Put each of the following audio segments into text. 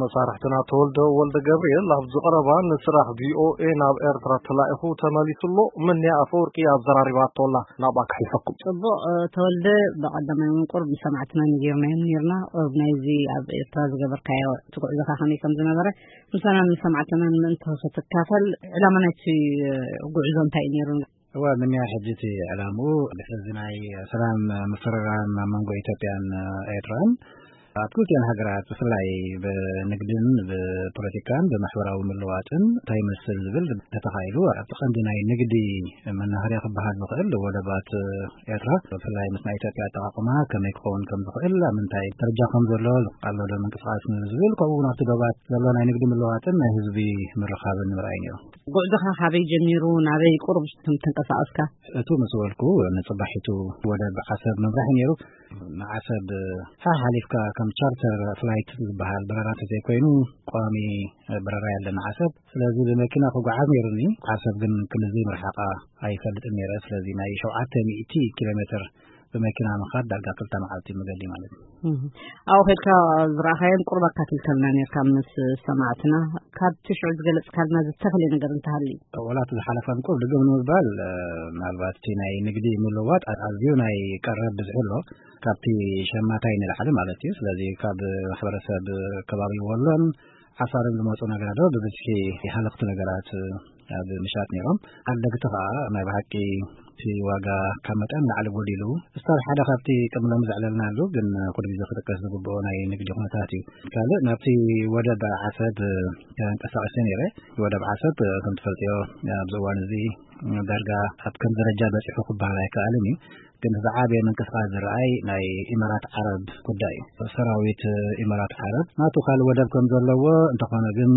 መሳርሕትና ተወልደ ወልደ ገብርኤል ኣብዚ ቀረባ ንስራሕ ቪኦኤ ናብ ኤርትራ ተላኢኹ ተመሊሱ ኣሎ። ምንያ ኣፈወርቂ ኣዘራሪባቶ ኣላ። ናብኣ ክሕልፈኩም። ጽቡቕ፣ እ፣ ተወልደ፣ ብቐዳማይ እውን ቁሩብ ንሰማዕትና ነጊርናዮም ነይርና። ቁሩብ ናይዚ ኣብ ኤርትራ ዝገበርካዮ እቲ ጉዕዞኻ ከመይ ከም ዝነበረ ምሳና ንሰማዕትና ንምእንቶ ክትካፈል፣ ዕላማ ናይቲ፣ እ፣ ጉዕዞ እንታይ እዩ ነይሩ? እወ፣ ምንያ ሕጂ እቲ ዕላምኡ ድሕሪ እዚ ናይ ሰላም ምፍርራም ኣብ መንጎ ኢትዮጵያን ኤርትራን ኣብ ክልቲኣን ሃገራት ብፍላይ ብንግድን ብፖለቲካን ብማሕበራዊ ምልዋጥን እንታይ ይመስል ዝብል ተተኻኢሉ ኣብቲ ቀንዲ ናይ ንግዲ መናኸርያ ክበሃል ዝኽእል ወደባት ኤርትራ ብፍላይ ምስ ናይ ኢትዮጵያ ኣጠቓቕማ ከመይ ክኸውን ከም ዝኽእል ኣብ ምንታይ ደረጃ ከም ዘሎ ኣሎ ዶ ምንቅስቓስ ዝብል ከምኡ እውን ኣብቲ ዶባት ዘሎ ናይ ንግዲ ምልዋጥን ናይ ህዝቢ ምርኻብን ምርኣይ ነይሩ። ጉዕዞኻ ካበይ ጀሚሩ ናበይ ቁሩብ ከም ተንቀሳቐስካ? እቱ ምስ በልኩ ንጽባሒቱ ወደብ ዓሰብ ምብራህ ነይሩ። ንዓሰብ ሓሓሊፍካ ከም ቻርተር ፍላይት ዝበሃል በረራ እንተዘይኮይኑ ቋሚ በረራ የለን ዓሰብ። ስለዚ ብመኪና ክጓዓዝ ነይሩኒ። ዓሰብ ግን ክንድዚ ምርሓቓ ኣይፈልጥን ነይረ። ስለዚ ናይ ሸውዓተ ሚእቲ ኪሎ ሜትር ብመኪና ምኻድ ዳርጋ ክልተ መዓልቲ መገዲ ማለት እዩ። እህ። ኣብኡ ኸድካ ዝረኣኻዮን ቁሩብ ኣካፊልካልና ነይርካ ምስ ሰማዕትና። ካብቲ ሽዑ ዝገለጽካልና ዝተፈልየ ነገር እንተሃልዩ? ወላ እቲ ዝሓለፈን ቁሩብ ድግም ንምባል፣ እ፣ ምናልባት እቲ ናይ ንግዲ ምልውዋጥ ኣዝዩ ናይ ቀረብ ብዝሒ ኣሎ። ካብቲ ሸማታይ ንላዕሊ ማለት እዩ። ስለዚ ካብ ማሕበረሰብ ከባቢ ወሎን ዓፋርን ዝመጹ ነጋዶ ብብዝሒ ሃለኽቲ ነገራት ኣብ ምሻጥ ነይሮም። ዓደግቲ ኸኣ ናይ ብሓቂ እቲ ዋጋ ካብ መጠን ላዕሊ ጎዲሉ፣ እስታል ሓደ ካብቲ ቅድሚ ሎሚ ዘዕለልናሉ ግን ኩሉ ግዜ ክጥቀስ ዝግብኦ ናይ ንግዲ ኩነታት እዩ። ካልእ ናብቲ ወደብ ዓሰብ ተንቀሳቒሰ ነይረ። ወደብ ዓሰብ ከም ትፈልጥዮ ኣብዚ እዋን እዚ ዳርጋ ኣብ ከም ደረጃ በጺሑ ክበሃል ኣይከኣልን እዩ። ግን ዝዓበየ ምንቅስቃስ ዝረኣይ ናይ ኢማራት ዓረብ ጉዳይ እዩ። ሰራዊት ኢማራት ዓረብ ናቱ ካልእ ወደብ ከም ዘለዎ እንተኾነ ግን፣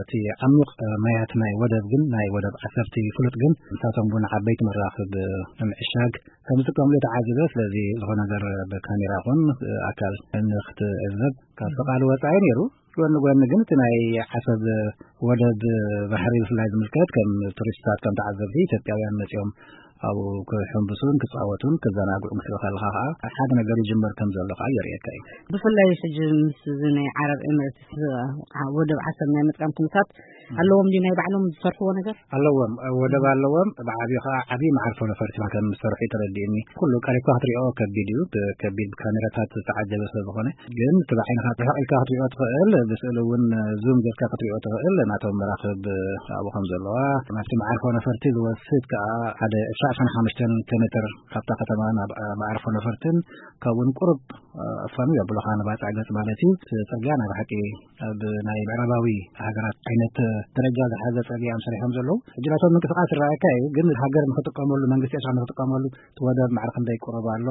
እቲ ዓሚቕ ማያት ናይ ወደብ ግን ናይ ወደብ ዓሰብቲ ፍሉጥ ግን ንሳቶም እውን ዓበይቲ መራኽብ ንምዕሻግ ከም ዝጥቀምሉ ተዓዚበ። ስለዚ ዝኾነ ነገር ብካሜራ ይኹን ኣካል ንክትዕዘብ ካብ ፍቃድ ወጻኢ ነይሩ። ጎኒ ጎኒ ግን እቲ ናይ ዓሰብ ወደብ ባሕሪ ብፍላይ ዝምልከት ከም ቱሪስትታት ከም ተዓዘብቲ ኢትዮጵያውያን መጺኦም ኣብኡ ክሕንብሱን ክጻወቱን ክዘናግዑን ክትርኢ ከለኻ ከዓ ሓደ ነገር ይጅመር ከም ዘሎ ከዓ የርእየካ እዩ። ብፍላይ ሕጂ ምስ እዚ ናይ ዓረብ ኤምሬትስ ወደብ ዓሰብ ናይ ምጥቃም ኩነታት ኣለዎም ድዩ ናይ ባዕሎም ዝሰርሕዎ ነገር? ኣለዎም፣ ወደብ ኣለዎም። ብዓብዩ ከዓ ዓብዪ መዓርፎ ነፈርቲ ከም ዝሰርሑ እዩ ተረዲእኒ። ኩሉ ቀሪብካ ክትሪኦ ከቢድ እዩ፣ ከቢድ ብካሜራታት ዝተዓጀበ ስለ ዝኾነ። ግን እቲ ብዓይንኻ ርሕቕ ኢልካ ክትሪኦ ትኽእል፣ ብስእሊ እውን ዙም ጌርካ ክትሪኦ ትኽእል። ናቶም መራኽብ ኣብኡ ከም ዘለዋ፣ ናብቲ መዓርፎ ነፈርቲ ዝወስድ ከዓ ሓደ ዕስራ ዕስራን ሓሙሽተን ኪሎ ሜትር ካብታ ከተማ ናብ መዓርፎ ነፈርትን ካብኡን ቁሩብ ኣፋኑ የብሉኻ ንባጽዕ ገጽ ማለት እዩ። እቲ ጽርግያ ናይ ብሓቂ ኣብ ናይ ምዕራባዊ ሃገራት ዓይነት ደረጃ ዝሓዘ ጽርግያ እዮም ሰሪሖም ዘለዉ። ሕጂ ናቶም ምንቅስቃስ ይረኣየካ እዩ፣ ግን ሃገር ንኽጥቀመሉ፣ መንግስቲ ኤርትራ ንኽጥቀመሉ፣ እቲ ወደብ ማዕረ ክንደይ ቅሩብ ኣሎ፣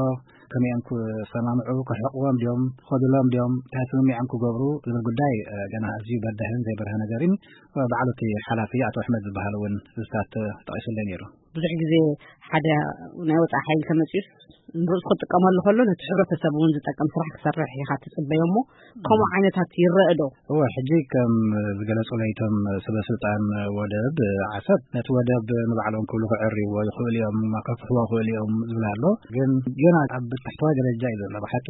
ከመይ እዮም ክሰማምዑ፣ ክርሕቕዎም ድዮም፣ ክኸዱሎም ድዮም፣ እንታይ ስምምዕ እዮም ክገብሩ ዝብል ጉዳይ፣ እ፣ ገና ኣዝዩ በዳህን ዘይበርሀ ነገር እዩ። ባዕሉ እቲ ሓላፊ ኣቶ ኣሕመድ ዝበሃል እውን ዝታት ተጠቒሱለይ ነይሩ። ብዙሕ ግዜ ሓደ ናይ ወጻኢ ሓይሊ ተመጺኡስ ንርእሱ ክጥቀመሉ ከሎ ነቲ ሕብረተሰብ እውን ዝጠቅም ስራሕ ክሰርሕ ኢኻ ትጽበዮ እሞ፣ ከምኡ ዓይነታት ይረአ ዶ? እወ፣ ሕጂ ከም ዝገለጹለይ እቶም ሰበ ስልጣን ወደብ ዓሰብ፣ ነቲ ወደብ ንባዕሎም ክብሉ ክዕርይዎ ይኽእሉ እዮም፣ ከፍትሕዎ ይኽእሉ እዮም ዝብል ኣሎ። ግን ገና ኣብ ታሕተዋይ ደረጃ እዩ ዘሎ። ብሓቂ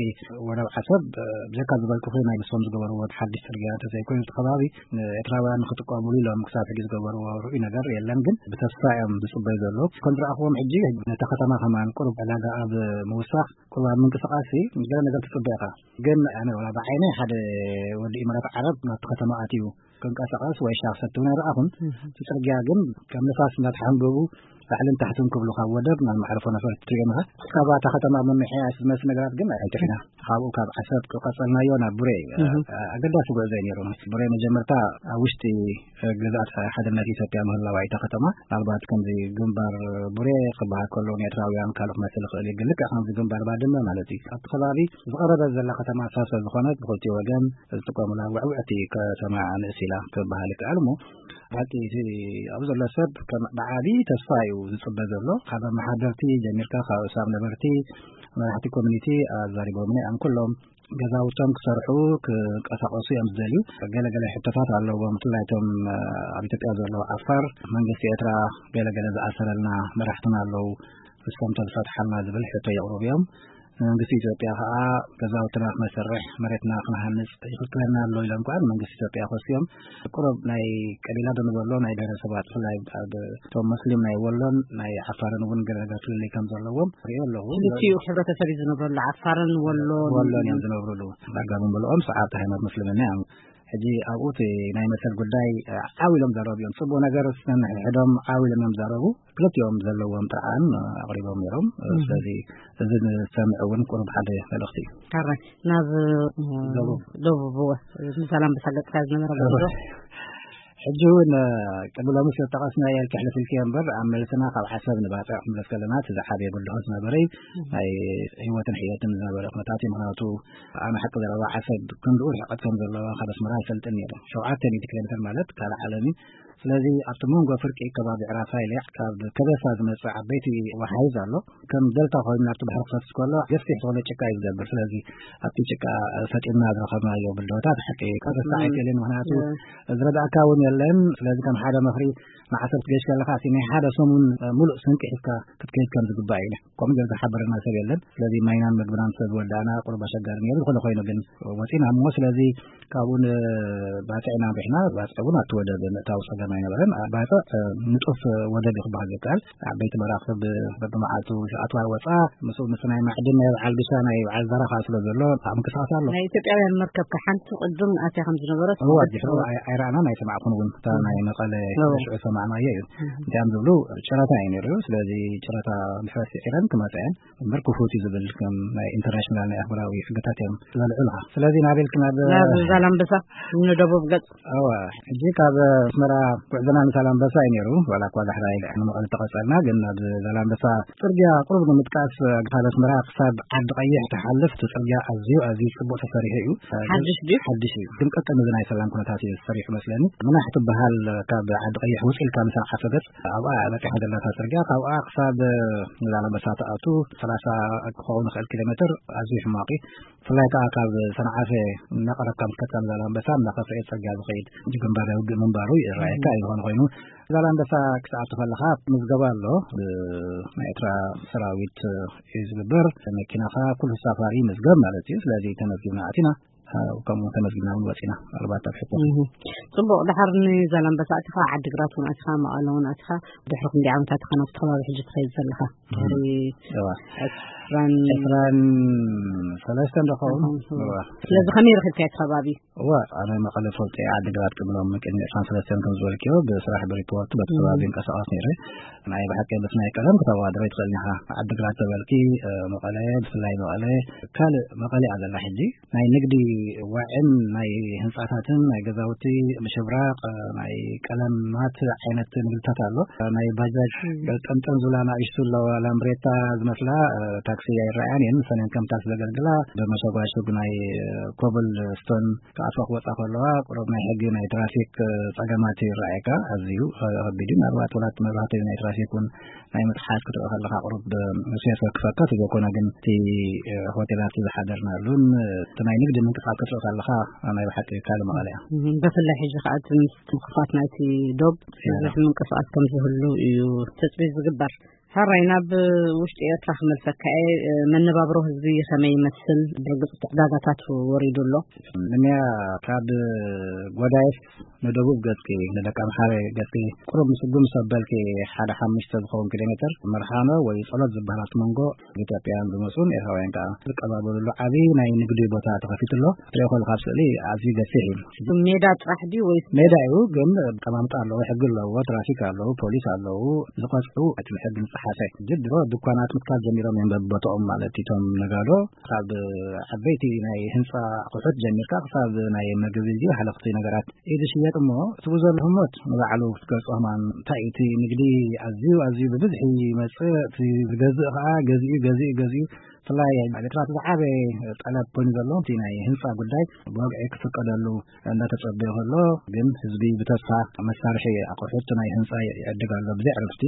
ወደብ ዓሰብ፣ ብዘካ ዝበልኩኺ ናይ ንሶም ዝገበርዎ ሓድሽ ጽርግያ እንተዘይኮይኑ፣ እቲ ከባቢ ንኤርትራውያን ንክጥቀሙሉ ኢሎም ክሳብ ሕጂ ዝገበርዎ ርኡይ ነገር የለን። ግን ብተስፋ እዮም ዝጽበዩ ዘለዉ። ከም ዝረኣኽዎም ሕጂ ነታ ከተማ ከማን ቁሩብ ዕዳጋ ኣብ ምውሳኽ ቁሩብ ኣብ ምንቅስቃስ እዩ። ገለ ነገር ትጽበ ኢኻ። ግን ኣነ ወላ ብዓይነይ ሓደ ወዲ ኢማራት ዓረብ ናብቲ ከተማ ኣትዩ ክንቀሳቐስ ወይ ሻሂ ክሰቲ እውን ኣይረኣኹን። እቲ ጽርግያ ግን ከም ንፋስ እናተሓንበቡ ላዕልን ታሕትን ክብሉ ካብ ወደብ ናብ መዕርፎ ነፈርቲ ትሪኦም ኢኻ። ክሳብ እታ ከተማ ምምሕያሽ ዝመስል ነገራት ግን ኣይትርኢና። ካብኡ ካብ ዓሰብ ቀጸልናዮ ናብ ቡሬ። እህ። ኣገዳሲ ጉዕዞ እዩ ነይሩ። ቡሬ መጀመርታ ኣብ ውሽጢ ግዝኣት ሓድነት ኢትዮጵያ ምህላዋ እታ ከተማ፣ ምናልባት ከምዚ ግንባር ቡሬ ክበሃል ከሎ ንኤርትራውያን ካልእ ክመስል ይኽእል እዩ፣ ግን ልክዕ ከምዚ ግንባር ባድመ ማለት እዩ። ኣብቲ ከባቢ ዝቐረበት ዘላ ከተማ እሳ ስለ ዝኾነት ብኽልቲኡ ወገን ዝጥቀሙላ ውዕውዕቲ ከተማ ንእስ ኢላ ክበሃል ይከኣል። እሞ ብሓቂ እቲ ኣብኡ ዘሎ ሰብ ከም ብዓቢ ተስፋ እዩ ዝጽበ ዘሎ። ካብ ኣመሓደርቲ ጀሚርካ፣ ካብ ሰብ ነበርቲ፣ መራሕቲ ኮሚኒቲ ኣዛሪቦምኒ እዮም ኩሎም። ገዛውቶም ክሰርሑ፣ ክንቀሳቐሱ እዮም ዝደልዩ። ገለገለ ሕቶታት ኣለዎም። ብፍላይ እቶም ኣብ ኢትዮጵያ ዘለዉ ዓፋር፣ መንግስቲ ኤርትራ ገለገለ ዝኣሰረልና መራሕትና ኣለዉ፣ ንሶም ተዝፈትሓልና ዝብል ሕቶ የቕርቡ እዮም። ንመንግስቲ ኢትዮጵያ ከዓ ገዛውትና ክነሰርሕ፣ መሬትና ክንሃንፅ ይኽልክለና ኣሎ ኢሎም ከዓ ንመንግስቲ ኢትዮጵያ ከስዮም። ቁሩብ ናይ ቀቢላ ዶ ንበሎ፣ ናይ ብሄረሰባት፣ ብፍላይ ኣብ እቶም መስሊም ናይ ወሎን ናይ ዓፋርን እውን ገለ ነገር ፍልልይ ከም ዘለዎም ሪኦ ኣለኹ። ክልቲኡ ሕብረተሰብ እዩ ዝነብረሉ፣ ዓፋርን ወሎን። ወሎን እዮም ዝነብሩሉ። ዳርጋ ብምልኦም ሰዓብቲ ሃይማኖት ምስልምና እዮም። ሕጂ ኣብኡ እቲ ናይ መሰል ጉዳይ ዓው ኢሎም ዘረቡ እዮም። ፅቡቅ ነገር ነንሕድሕዶም ዓው ኢሎም እዮም ዘረቡ። ክልቲኦም ዘለዎም ጥርዓን ኣቕሪቦም ነይሮም። ስለዚ እዚ ንሰምዕ እውን ቁሩብ ሓደ መልእኽቲ እዩ። ሕራይ ናብ ደቡብ። ደቡብ እወ፣ ንዛላምበሳ ገጽካ ዝነበረ ጉዕዞ። ሕጂ እውን ቅድሚ ሎሚ ስለ ጠቐስናዮ ከሕልፍ ኢልክዮ እምበር፣ ኣብ መልስና ካብ ዓሰብ ንባጽዕ ክንብለስ ከለና እቲ ዝዓበየ ብድሆ ዝነበረ ናይ ህይወትን ሕየትን ዝነበረ ኩነታት እዩ። ምኽንያቱ ኣነ ሓቂ ዘረባ ዓሰብ ክንድኡ ርሕቀት ከም ዘለዋ ካብ ኣስመራ ኣይፈልጥን ነይረ። ሸውዓተ ሚእቲ ኪሎ ሜትር ማለት ካልእ ዓለም እዩ። ስለዚ ኣብቲ መንጎ ፍርቂ ከባቢ ዕራፋይለ ካብ ከበሳ ዝመጽእ ዓበይቲ ወሓይዝ ኣሎ። ከም ደልታ ኮይኑ ናብቲ ባሕሪ ክፈስስ ከሎ ገፊሕ ዝኾነ ጭቃ እዩ ዝገብር። ስለዚ ኣብቲ ጭቃ ሰጢምና ዝረኸብናዮ ብድሆታት ሓቂ ክርሳዕ ኣይክእልን። ምኽንያቱ ዝረዳእካ እውን የለን። ስለዚ ከም ሓደ ምኽሪ ንዓሰብ ክትገይሽ ከለኻ እቲ ናይ ሓደ ሰሙን ሙሉእ ስንቂ ሒዝካ ክትከይድ ከም ዝግባእ እዩ። ከምኡ ገይሩ ዝሓበረና ሰብ የለን። ስለዚ ማይናን ምግብናን ስለ ዝወዳእና ቁሩብ ኣሸጋሪ ነይሩ። ዝኾነ ኮይኑ ግን ወፂና እሞ ስለዚ ካብኡ ንባፅዕ ኢና ኣምሪሕና። ባፅዕ እውን ኣብቲ ወደብ ምእታው ፀገም ኣይነበረን። ባፅዕ ንጡፍ ወደብ እዩ ክበሃል ዝከኣል። ዓበይቲ መራኽብ በብመዓልቱ ኣትዋ ወፃ፣ ምስኡ ምስ ናይ ማዕድን ናይ በዓል ቢሻ ናይ በዓል ዘረኻ ስለ ዘሎ ኣብ ምንቅስቃስ ኣሎ። ናይ ኢትዮጵያውያን መርከብ ከ ሓንቲ ቅድም ኣትያ ከም ዝነበረት እዋ፣ ድሕሩ ኣይ-፣ ኣይረኣናን ኣይሰማዕኩን እውን። እታ ናይ መቐለ እዋ። ሽዑ ሰማዕናዮ እዩ። እንታይ እዮም ዝብሉ? ጨረታ እዩ ነይሩ። ስለዚ ጨረታ ድሕረት ስዒረን ክመፃ እየን። እምበር ክፉት እዩ ዝብል ከም ናይ ኢንተርናሽናል ናይ ኣህጉራዊ ሕግታት እዮም ዘልዕሉኻ። ስለዚ ናበይ ኢልክና ብ-፣ ናብ ዛላምበሳ ንደቡብ ገጽ። እዋ፣ ሕጂ ካብ ኣስመራ ጉዕዞና ንዛላምበሳ እዩ ነይሩ። ዋላ እኳ ዳሕራይ ንመቐለ ተቐጸልና፣ ግን ናብ ዛላምበሳ ጽርግያ ቁሩብ ንምጥቃስ፣ ካብ ኣስመራ ክሳብ ዓዲ ቀይሕ ትሓልፍ፣ እቲ ጽርግያ ኣዝዩ፣ ኣዝዩ ጽቡቕ ተሰሪሑ እዩ። ሓድሽ ድዩ? ሓድሽ እዩ። ግን ቀጥታ ነዚ ናይ ሰላም ኩነታት እዩ ተሰሪሑ መስለኒ። ምናሕ ትበሃል ካብ ዓዲ ቀይሕ ውጽእ ኢልካ ንሰንዓፈ ገጽ ኣብኣ በጺሓ ዘላታ ጽርግያ፣ ካብኣ ክሳብ ዛላምበሳ ትኣቱ ሰላሳ ክኸውን ይኽእል ኪሎ ሜትር፣ ኣዝዩ ሕማቕ እዩ። ብፍላይ ከኣ ካብ ሰንዓፈ እናቐረብካ ምስ ከድካ ንዛላምበሳ እናኸፍአ ጽርግያ ዝኸይድ፣ ግንባር ውግእ ምንባሩ ይረኣየካ እዩ። ዝኾነ ኮይኑ ዛላምበሳ ክትኣቱ ከለኻ ምዝገባ ኣሎ። ብናይ ኤርትራ ሰራዊት እዩ ዝግበር። መኪናኻ ኩሉ ተሳፋሪ ይምዝገብ ማለት እዩ። ስለዚ ተመዝጊብና ኣቲና፣ ከምኡ ተመዝጊብና እውን ወፂና። ምናልባት ኣብ ሕቶ እህ። ጽቡቕ፣ ድሓር ንዛላምበሳ ኣቲኻ፣ ዓዲግራት እውን ኣቲኻ፣ መቐለ እውን ኣቲኻ፣ ድሕሪ ክንደይ ዓመታት ኢኻ ናብቲ ከባቢ ሕጂ ትኸይድ ዘለኻ? ድሕሪ እዋ። ዕስራን ዕስራን ሰለስተን ዶ ኸውን? እዋ። ስለዚ ከመይ ረኺብካዮ እቲ ከባቢ? እዋ፣ ኣነ መቐለ ፈልጦ እየ፣ ዓዲግራት ቅድሚ ሎሚ ቅድሚ ዕስራን ሰለስተን ከም ዝበልክዮ ብስራሕ ብሪፖርት በቲ ከባቢ እም። ይንቀሳቐስ ነይረ። ናይ ብሓቂ በቲ ናይ ቀለም ክተወዳድሮ ይትኽእል ኢኻ። ዓዲግራት ተበልኪ፣ እ፣ መቐለ፣ ብፍላይ መቐለ፣ ካልእ መቐለ እያ ዘላ ሕጂ። ናይ ንግዲ ዋዕን ናይ ህንጻታትን ናይ ገዛውቲ ምሽብራቕ፣ ናይ ቀለማት ዓይነት ንግድታት ኣሎ። ናይ ባጃጅ እም። ገልጠምጠም ዝብላ ንኣሽቱ ኣለዋ፣ ላምብሬታ ዝመስላ፣ እ፣ ታክሲ ኣይረኣያን እየን። ንሰን እየን ከም ታክሲ ዘገልግላ። ብመሸጓሸጉ ናይ፣ እ፣ ኮብል ስቶን ክኣትዋ ክወጻ ከለዋ ቁሩብ ናይ ሕጊ ናይ ትራፊክ፣ እ፣ ጸገማት ይረኣየካ። ኣዝዩ፣ እ፣ ከቢድ እዩ። ምናልባት ወላ እቲ መብራህቲ ናይ ትራፊክ እውን ናይ ምጥሓስ ክትርኢ ከለኻ ቁሩብ፣ እ፣ ሴፍ ከክፈካ ተዘኮነ፣ ግን እቲ፣ እ፣ ሆቴላት ዝሓደርናሉን፣ እ፣ እቲ ናይ ንግዲ ምንቅስቃስ ክትርኢ ከለኻ ናይ ብሓቂ ካልእ መቐለ እያ። እም፣ ብፍላይ ሕጂ ከኣ እቲ ምስ ምኽፋት ናይቲ ዶብ እያ። ብዙሕ ምንቅስቃስ ከም ዝህሉ እዩ ትጽቢት ዝግበር። ሕራይ፣ ናብ ውሽጢ ኤርትራ ክመልሰካ እየ። እ፣ መነባብሮ ህዝቢ ከመይ ይመስል? ብርግጽ ዕዳጋታት ወሪዱ ኣሎ። ንንያ ካብ ጎዳይፍ ንደቡብ ገጽኪ፣ ንደቂ ኣምሓረ ገጽኪ፣ ቁሩብ ምስጉም ሰበልኪ ሓደ ሓሙሽተ ዝኸውን ኪሎ ሜትር መርሓኖ ወይ ጸሎት ዝበሃል ኣብቲ መንጎ ኢትዮጵያውያን ዝመጹን ኤርትራውያን ከኣ ዝቀባበሉሉ ዓቢ ናይ ንግዲ ቦታ ተኸፊቱ ኣሎ። ትሪኦ ከለኻ ኣብ ስእሊ ኣዝዩ ገፊሕ እዩ። ሜዳ ጥራሕ ድዩ ወይስ? ሜዳ እዩ፣ ግን ኣቀማምጣ ኣለዎ፣ ሕጊ ኣለዎ፣ ትራፊክ ኣለዎ፣ ፖሊስ ኣለዉ፣ ዝቐጽዑ እቲ ብሕጊ ዝጸሓፈ። ሕጂ ድሮ ድኳናት ምትካል ጀሚሮም እዮም በብቦትኦም፣ ማለት እቶም ነጋዶ ካብ ዓበይቲ ናይ ህንጻ ኣቑሑት ጀሚርካ ክሳብ ናይ መግቢ ድዩ ሃለኽቲ ነገራት እዩ ዝሽየጥ። እሞ እቲ ብኡ ዘሎ ህሞት ንባዕሉ ክትገልጾ ከማን እንታይ እዩ እቲ ንግዲ ኣዝዩ፣ ኣዝዩ ብብዝሒ ይመጽእ፣ እቲ ዝገዝእ ከኣ ገዚኡ፣ ገዚኡ፣ ገዚኡ ብፍላይ ኣብ ኤርትራ እቲ ዝዓበየ ጠለብ ኮይኑ ዘሎ እቲ ናይ ህንፃ ጉዳይ ብወግዒ ክፍቀደሉ እንዳተጸበየ ከሎ፣ ግን ህዝቢ ብተስፋ መሳርሒ ኣቑሑት ናይ ህንፃ ይዕድግ ኣሎ። ብዘይ ዕርፍቲ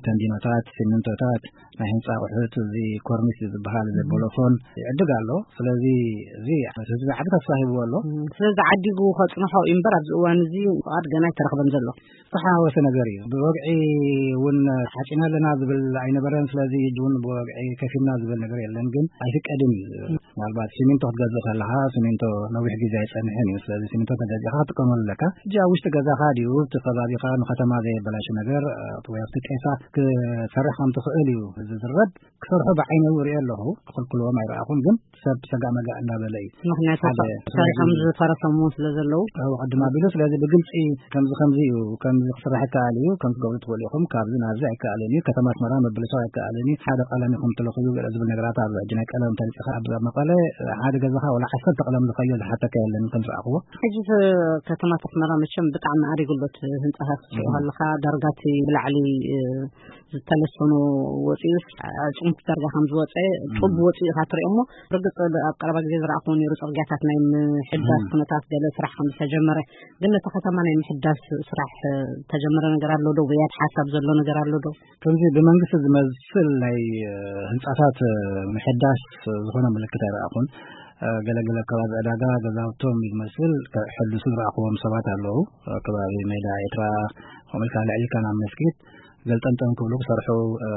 ተንዲኖታት፣ ሲሚንቶታት፣ ናይ ህንፃ ኣቑሑት፣ እዚ ኮርኒስ ዝበሃል፣ እዚ ቦሎፎን ይዕድግ ኣሎ። ስለዚ እዚ ህዝቢ ዓቢ ተስፋ ሂብዎ ኣሎ። ስለዚ ዓዲጉ ከጽንሖ እዩ እምበር ኣብዚ እዋን እዚ ፍቓድ ገና ኣይተረኽበን ዘሎ። ዝተሓዋወሰ ነገር እዩ። ብወግዒ እውን ሓጺና ኣለና ዝብል ኣይነበረን። ስለዚ እውን ብወግዒ ከፊልና ዝብል ነገር የለን፣ ግን ኣይፍቀድን እዩ ዝብል። ምናልባት ሲሚንቶ ክትገዝእ ከለኻ፣ ሲሚንቶ ነዊሕ ግዜ ኣይጸንሕን እዩ። ስለዚ ሲሚንቶ ተገዚእካ ክትጥቀመሉ ኣለካ። ሕጂ ኣብ ውሽጢ ገዛኻ ድዩ፣ እቲ ከባቢኻ ንከተማ ዘየበላሹ ነገር፣ እ፣ ወይ ኣብቲ ጤሳ ክሰርሕ ከም ትኽእል እዩ ዝዝረብ። ክሰርሑ ብዓይነይ ርእየ ኣለኹ። ክኽልክልዎም ኣይረኣኹን፣ ግን ሰብ ሰጋእ መጋእ እንዳበለ እዩ። ምኽንያቱ ሓደ ሰሪሖም ስለዚ ዝፈረሰ እውን ስለ ዘለዉ። ኣብ ቅድም ኣቢሉ፣ ስለዚ ብግልጺ ከምዚ ከምዚ እዩ፣ ከምዚ ክስራሕ ይከኣል እዩ፣ ከምዚ ክገብሩ ትኽእሉ ኢኹም፣ ካብዚ ናብዚ ኣይከኣልን እዩ፣ ከተማ ኣስመራ ምብልሻው ኣይከኣልን እዩ፣ ሓደ ቀለም ኢኹም ትለኽዩ ገለ ዝብል ነገራት ኣሎ። ሕጂ ናይ ቀለም ተንጺኻ ኣብ መቐለ ሓደ ገዛኻ ወላ ዓሰርተ ቀለም ዝኸዮ ዝሓተካ የለን ከም ዝረኣኽዎ። ሕጂ እዚ ከተማ ኣስመራ መቸም ብጣዕሚ ኣሪጉ ኣሎ። እቲ ህንጻታት ክትሪኦ ከለኻ ዳርጋ እቲ ብላዕሊ፣ እ፣ ዝተለሰኑ ወፂኡስ ኣዕፅምቲ ዳርጋ ከም ዝወፀ ጡብ ወፂኡ ኢኻ ትሪኦ እሞ፣ ርግፅ ኣብ ቀረባ ግዜ ዝረኣኹዎ ነይሩ። ፅርግያታት ናይ ምሕዳስ ኩነታት ገለ ስራሕ ከም ዝተጀመረ፣ ግን ነቲ ከተማ ናይ ምሕዳስ ስራሕ ዝተጀመረ ነገር ኣሎ ዶ? ወይ ኣብ ሓሳብ ዘሎ ነገር ኣሎ ዶ? ከምዚ ብመንግስቲ ዝመስል ናይ፣ እ፣ ህንፃታት፣ እ፣ ምሕዳስ ዝኾነ ምልክት ኣይረኣኹን። እ፣ ገለገለ ከባቢ ዕዳጋ ገዛውቶም ዝመስል ከሕድሱ ዝረኣኽዎም ሰባት ኣለዉ። ኣብ ከባቢ ሜዳ ኤርትራ፣ ከምኡ ኢልካ ልዕል ኢልካ ናብ መስጊድ ገልጠምጠም ክብሉ ክሰርሑ፣ እ፣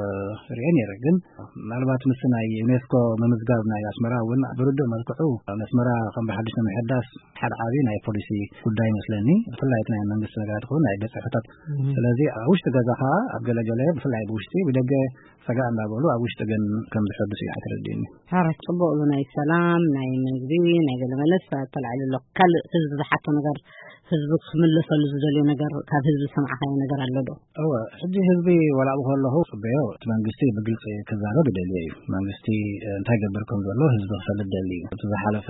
ርእየ ነይረ። ግን ምናልባት ምስ ናይ ዩኔስኮ ምምዝጋብ ናይ ኣስመራ እውን ብርዱእ መልክዑ ንኣስመራ ከም ብሓድሽ ንምሕዳስ ሓደ ዓቢ ናይ ፖሊሲ ጉዳይ ይመስለኒ። ብፍላይ እቲ ናይ መንግስቲ ነገራት ይኹን ናይ ቤት ጽሕፈታት። ስለዚ ኣብ ውሽጢ ገዛኻ ኣብ ገለገለ ብፍላይ ብውሽጢ ብደገ ሰጋእ እንዳበሉ ኣብ ውሽጢ ግን ከም ዝሕድስ እዩ ሓተረዲኒ። ሓራት ጽቡቕ እዩ። ናይ ሰላም፣ ናይ ምግቢ፣ ናይ ገለ መለስ ተላዒሉ ኣሎ። ካልእ ህዝቢ ዝሓቶ ነገር፣ ህዝቢ ክምለሰሉ ዝደልዮ ነገር፣ ካብ ህዝቢ ዝሰማዕካዮ ነገር ኣሎ ዶ? እወ፣ ሕጂ ህዝቢ ዋላ ኣብኡ ከለኹ ጽበዮ፣ እቲ መንግስቲ ብግልጺ ክዛረብ ይደልዮ እዩ። መንግስቲ እንታይ ገብር ከም ዘሎ ህዝቢ ክፈልጥ ደሊ እዩ። እቲ ዝሓለፈ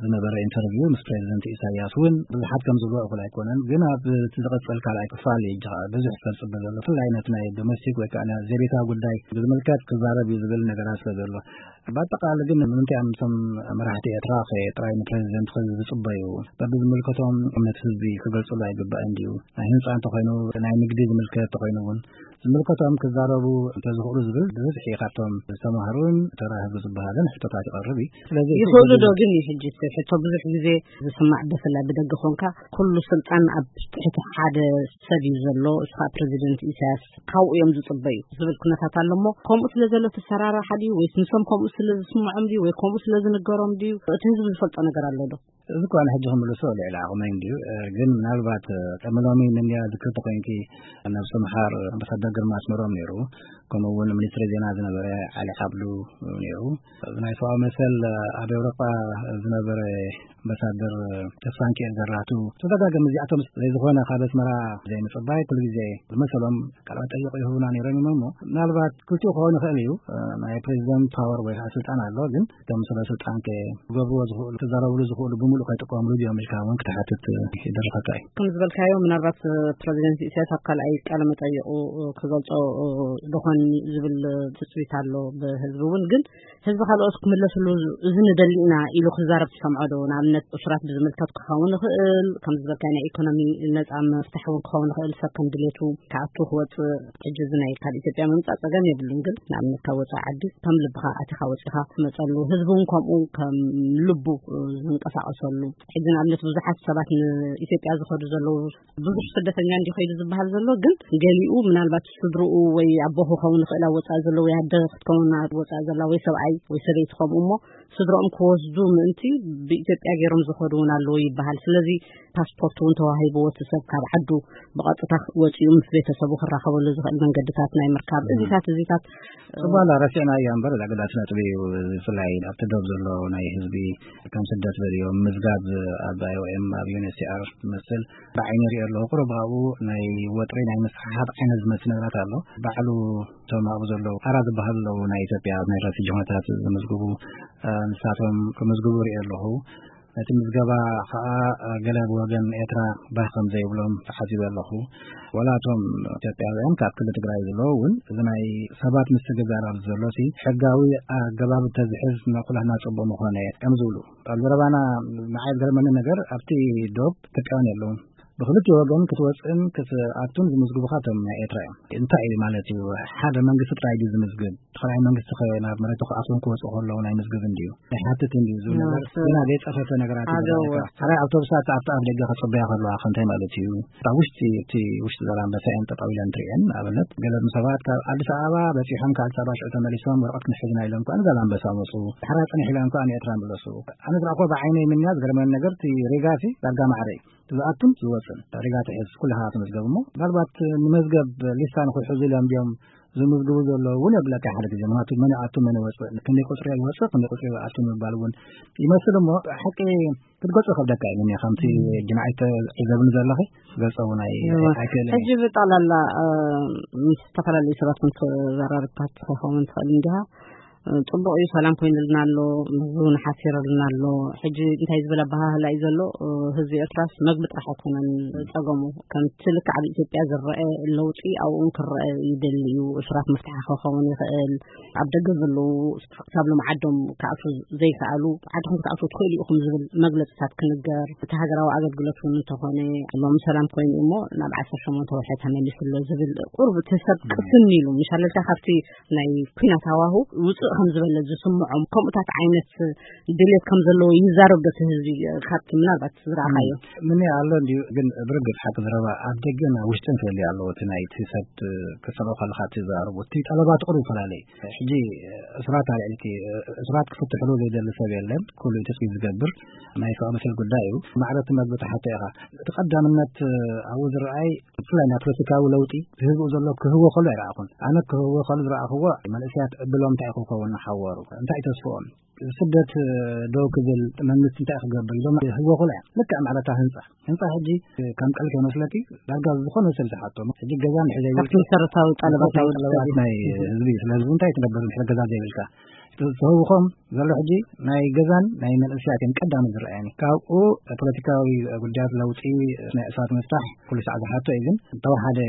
ዝነበረ ኢንተርቪው ምስ ፕሬዚደንት ኢሳያስ እውን ብዙሓት ከም ዝብሎ እኹል ኣይኮነን። ግን ኣብ እቲ ዝቕጽል ካልኣይ ክፋል እዩ ሕጂ ብዙሕ ሰብ ጽበ ዘሎ። ብፍላይ ነቲ ናይ ዶሜስቲክ ወይ ከዓ ናይ ዘቤታዊ ጉዳይ ብዝምልከት ክዛረብ እዩ ዝብል ነገራት ስለ ዘሎ። ብኣጠቓሊ ግን ንምንታይ እዮም እቶም መራሕቲ ኤርትራ ከ ጥራይ ንፕሬዚደንት ከ ዝጽበዩ? በብዝምልከቶም እምነት ህዝቢ ክገልጽሉ ኣይግባእን ድዩ? ናይ ህንጻ እንተኾይኑ፣ ናይ ንግዲ ዝምልከት እንተኾይኑ እውን ዝምልከቶም ክዛረቡ እንተዝኽእሉ ዝብል ብብዝሒ ካብቶም ዝተማህሩን ተራ ህዝቢ ዝበሃልን ሕቶታት ይቐርብ እዩ። ስለዚ እቲ ይኽእሉ ዶ ህዝቢ ግን እዩ ሕጂ እቲ ሕቶ ብዙሕ ግዜ ዝስማዕ፣ ብፍላይ ብደገ ኮንካ ኩሉ ስልጣን ኣብ ትሕቲ ሓደ ሰብ እዩ ዘሎ፣ እሱ ከዓ ፕሬዚደንት ኢሳያስ ካብኡ እዮም ዝጽበዩ ዝብል ኩነታት ኣሎ። እሞ ከምኡ ስለ ዘሎ እቲ ኣሰራርሓ ድዩ ወይስ ንሶም ከምኡ ስለ ዝስምዖም ድዩ ወይ ከምኡ ስለ ዝንገሮም ድዩ? እቲ ህዝቢ ዝፈልጦ ነገር ኣሎ ዶ? እዚ እኳ ንሕጂ ክምልሶ ልዕሊ ዓቕመይ እንድዩ። እ፣ ግን ምናልባት፣ እ፣ ቅድሚ ሎሚ ንንያ ዝክር ተኾይንኪ፣ ነብሲ ምሓር ኣምባሳደር ግርማ ኣስመሮም ነይሩ። ከምኡ እውን ሚኒስትሪ ዜና ዝነበረ ዓሊ ዓብዱ ነይሩ። ናይ ሰብኣዊ መሰል ኣብ ኤውሮጳ ዝነበረ ኣምባሳደር ተስፋንኪኤል ዘራቱ፣ ተደጋጋሚ እዚኣቶም ዘይዝኾነ ካብ ኣስመራ ዘይምጽባይ ኩሉ ግዜ ዝመሰሎም ቃለ መጠይቕ ይህቡና ነይሮም እዮም። እሞ ምናልባት ክልቲኡ ክኸውን ይኽእል እዩ። ናይ ፕሬዚደንት ፓወር ወይ ከዓ ስልጣን ኣሎ፣ ግን እቶም ሰበ ስልጣን ክገብርዎ ዝኽእሉ፣ ክዛረብሉ ዝኽእሉ ብምሉእ ከይጥቀምሉ ድዮም ኢልካ እውን ክትሓትት ይደርኸካ እዩ። ከም ዝበልካዮ ምናልባት ፕሬዚደንት ኢሳያስ ኣብ ካልኣይ ቃለ መጠይቑ ክገልጾ ዶኾን ዝብል ትጽቢት ኣሎ ብህዝቢ እውን። ግን ህዝቢ ካልኦት ክምለስሉ እዚ ንደሊ ኢና ኢሉ ክዛረብ ትሰምዖ ዶ? ንኣብነት እሱራት ብዝምልከት ክኸውን ይኽእል፣ ከም ዝበልካዮ ናይ ኢኮኖሚ ነጻ ምፍታሕ እውን ክኸውን ይኽእል። ሰብ ከም ድሌቱ ክኣቱ ክወጽእ፣ ሕጂ እዚ ናይ ካብ ኢትዮጵያ ምምጻእ ጸገም የብሉን፣ ግን ንኣብነት ካብ ወጻኢ ዓዲ ከም ልብኻ ኣቲኻ ወጺኻ ትመጸሉ፣ ህዝቢ እውን ከምኡ ከም ልቡ ዝንቀሳቐሰሉ። ሕጂ ንኣብነት ብዙሓት ሰባት ንኢትዮጵያ ዝኸዱ ዘለዉ፣ ብዙሕ ስደተኛ እንዲ ከይዱ ዝበሃል ዘሎ፣ ግን ገሊኡ ምናልባት ስድርኡ ወይ ኣቦ ክኸውን ይኽእል ኣብ ወጻኢ ዘሎ፣ ወይ ኣደ ክትከውን ኣብ ወጻኢ ዘላ፣ ወይ ሰብኣይ ወይ ሰበይቲ ከምኡ፣ እሞ ስድርኦም ክወስዱ ምእንቲ ብኢትዮጵያ ገይሮም ዝኸዱ እውን ኣለዉ ይበሃል። ስለዚ ፓስፖርት እውን ተዋሂብዎ እቲ ሰብ ካብ ዓዱ ብቐጥታ ወፂኡ ምስ ቤተሰቡ ክራኸበሉ ዝኽእል መንገድታት ናይ ምርካብ እዚታት እዚታት ጽባላ ረሲዕና እያ እምበር፣ እዛ ኣገዳሲ ነጥቢ እዩ። ብፍላይ ኣብቲ ዶብ ዘሎ ናይ ህዝቢ ከም ስደት በልዮም ምዝጋብ ኣብ ኣይ ኦ ኤም፣ ኣብ ዩ ኤን ኤች ሲ ኣር ዝመስል ብዓይኒ ሪኦ ኣለኹ። ቁሩብ ኣብኡ ናይ ወጥሪ ናይ ምስሕሓብ ዓይነት ዝመስል ነገራት ኣሎ። ባዕሉ እቶም ኣብኡ ዘለዉ ኣራ ዝበሃሉ ኣለዉ፣ ናይ ኢትዮጵያ ናይ ረፊጂ ኩነታት ዝምዝግቡ፣ እ፣ ንሳቶም ክምዝግቡ ሪኦ ኣለኹ። እቲ ምዝገባ ከዓ ገለ ብወገን ኤርትራ ባህ ከም ዘይብሎም ተሓሲበ ኣለኹ። ወላ እቶም ኢትዮጵያውያን ካብ ክልል ትግራይ ዘለዉ እውን እዚ ናይ ሰባት ምስግጋር ኣብዚ ዘሎ እቲ ሕጋዊ ኣገባብ እንተዝሕዝ ንኩላህና ጽቡቕ ምኾነ እዮም ዝብሉ። ኣብ ዘረባና ንዓይ ዝገርመኒ ነገር ኣብቲ ዶብ ኢትዮጵያውያን የለውን። ብክልቲኡ ወገን ክትወፅእን ክትኣቱን ዝምዝግቡኻ እቶም ናይ ኤርትራ እዮም። እንታይ እዩ ማለት እዩ? ሓደ መንግስቲ ጥራይ ድዩ ዝምዝግብ? ተኸላይ መንግስቲ ከ ናብ መሬቱ ክኣትውን ክወፅኡ ከለዉ ናይ ምዝግብ እንድዩ ናይ ሓትት እንድዩ ዝብል ነገር ገና ዘይፀፈፈ ነገራት እዩ። ሓደ ኣውቶቡሳት ኣብቲ ኣፍ ደገ ከፅበያ ከለዋ ከንታይ ማለት እዩ? ኣብ ውሽጢ እቲ ውሽጢ ዘላንበሳ እየን ጠጠው ኢለን ትሪኤን። ንኣብነት ገለ ሰባት ካብ ኣዲስ ኣበባ በፂሖም ካብ ኣዲስ ኣበባ ሽዑ ተመሊሶም ወረቐት ክንሕዝና ኢሎም ከኣ ንዛላንበሳ መፁ። ድሕራ ፀኒሕ ኢሎም ከኣ ንኤርትራ መለሱ። ኣነ ዝረኣኮ ብዓይነይ ምንያ ዝገርመኒ ነገር እቲ ሪጋ ሲ ዳርጋ ማዕረ እዩ። ዝኣቱን ዝወፅን ሪጋ ትሕዝ ኩልኻ ትመዝገብ እሞ ምናልባት ንመዝገብ ሊስታ ንክሕዙ ኢሎም ድዮም ዝምዝግቡ ዘለዉ እውን የብለካ ሓደ ግዜ። ምክንያቱ መን ይኣቱ መን ይወፅእ፣ ክንደይ ቁፅሪ ይወፅእ ክንደይ ቁፅሪ ይኣቱ ምባል እውን ይመስል እሞ ሓቂ ክትገልፆ ከብደካ እዩ። ከምቲ ጅናዒ ተዒዘብኒ ዘለኺ ገልፀ እውን ኣይክእልን ሕጂ ብጠቕላላ ምስ ዝተፈላለዩ ሰባት ክንተዘራርብካ ትኸውን ትኽእል እንዲኻ። ጽቡቕ እዩ፣ ሰላም ኮይኑልና ኣሎ፣ ምግቢ እውን ሓፊርልና ኣሎ። ሕጂ እንታይ ዝበለ ኣበሃህላ እዩ ዘሎ? ህዝቢ ኤርትራስ መግቢ ጥራሕ ኣይኮነን ጸገሙ። ከምቲ ልክዕ ኣብ ኢትዮጵያ ዝረአ ለውጢ ኣብኡ እውን ክረአ ይደሊ እዩ። እሱራት መፍትሒ ክኸውን ይኽእል። ኣብ ደገ ዘለዉ ክሳብ ሎም ዓዶም ክኣትዉ ዘይከኣሉ፣ ዓድኹም ክትኣትዉ ትኽእሉ ኢኹም ዝብል መግለጽታት ክንገር፣ እቲ ሃገራዊ ኣገልግሎት እውን እንተኾነ ሎም ሰላም ኮይኑ እሞ ናብ ዓሰርተ ሸሞንተ ወርሒ ተመሊሱ ኣሎ ዝብል ቁሩብ እቲ ሰብ ቅስን ኢሉ ምሻለልካ ካብቲ ናይ ኲናት ሃዋሁ ውፅእ ከም ዝበለ ዝስምዖም ከምኡታት ዓይነት ድሌት ከም ዘለዎ ይዛረብ ዶ እቲ ህዝቢ? ካብቲ ምናልባት ዝረኣኻዮ ምን ኣሎ እንዲዩ ግን ብርግፅ ሓቂ ዘረባ ኣብ ደገን ኣብ ውሽጥን ክህልዩ ኣለዎ። እቲ ናይ እቲ ሰብ ክሰምዖ ከለካ እቲ ዘራርቡ እቲ ጠለባት ቁሩብ ይፈላለ እዩ። ሕጂ እሱራት ኣልዒልኪ እሱራት ክፍትሕሉ ዘይደሊ ሰብ የለን። ኩሉ እዩ ተፅቢት ዝገብር ናይ ሰብኣዊ መሰል ጉዳይ እዩ። ማዕረ እቲ መግቢ ትሓቶ ኢኻ። እቲ ቀዳምነት ኣብኡ ዝረኣይ ብፍላይ ናይ ፖለቲካዊ ለውጢ ህዝቡ ዘሎ ክህወ ከሎ ኣይረኣኹን። ኣነ ክህወ ከሎ ዝረኣኽዎ መንእሰያት ዕድሎም እንታይ ክኸውን ሓወሩ እንታይ ተስፍኦም ስደት ደው ክብል መንግስቲ እንታይ ክገብር ኢሎም ህወ ከሎ እያ። ልክዕ ማዕረታ ህንፃ ህንፃ ሕጂ ከም ቀልከ መስለኪ ዳርጋ ዝኾነ ሰብ ዝሓቶ ሕጂ ገዛ ንሕዘይ ካብቲ መሰረታዊ ጠለባት ናይ ወዲ ሰብ ጠለባት እዩ። ናይ ህዝቢ እዩ። ስለዚ እንታይ ትነብር ድሕሪ ገዛ ዘይብልካ ዝህውኾም ዘሎ ሕጂ ናይ ገዛን ናይ መንእሰያትን ቀዳሚ ዝረኣየኒ ካብኡ ፖለቲካዊ ጉዳያት ለውጢ ናይ እሳት ምፍታሕ ኩሉ ሳዕ ዝሓቶ እዩ። ግን ተወሓደ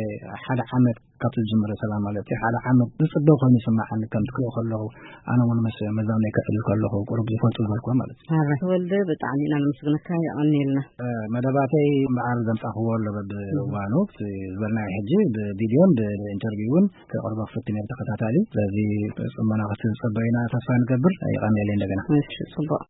ሓደ ዓመት ካብቲ ዝጅምረ ሰላም ማለት እዩ ሓደ ዓመት ዝፅበ ኮይኑ ይስማዓኒ ከምቲ ክሪኦ ከለኹ ኣነ እውን ምስ መዛመይ ከዕልል ከለኹ ቁሩብ ዝፈልጡ ዝበልኩዎ ማለት እዩ። ኣረ ተወልደ ብጣዕሚ ኢና ነመስግነካ የቐንየልና። መደባተይ እምበኣር ዘምፃኽዎ ኣሎ በብእዋኑ እቲ ዝበልናዮ ሕጂ ብቪድዮን ብኢንተርቪውን ከቕርቦ ክፍትን እየ ብተኸታታሊ። ስለዚ ፅሞና ክዝፀበዩና ተስፋ ንገብር። ይቐንየለይ እንደገና። እሺ ፅቡቕ።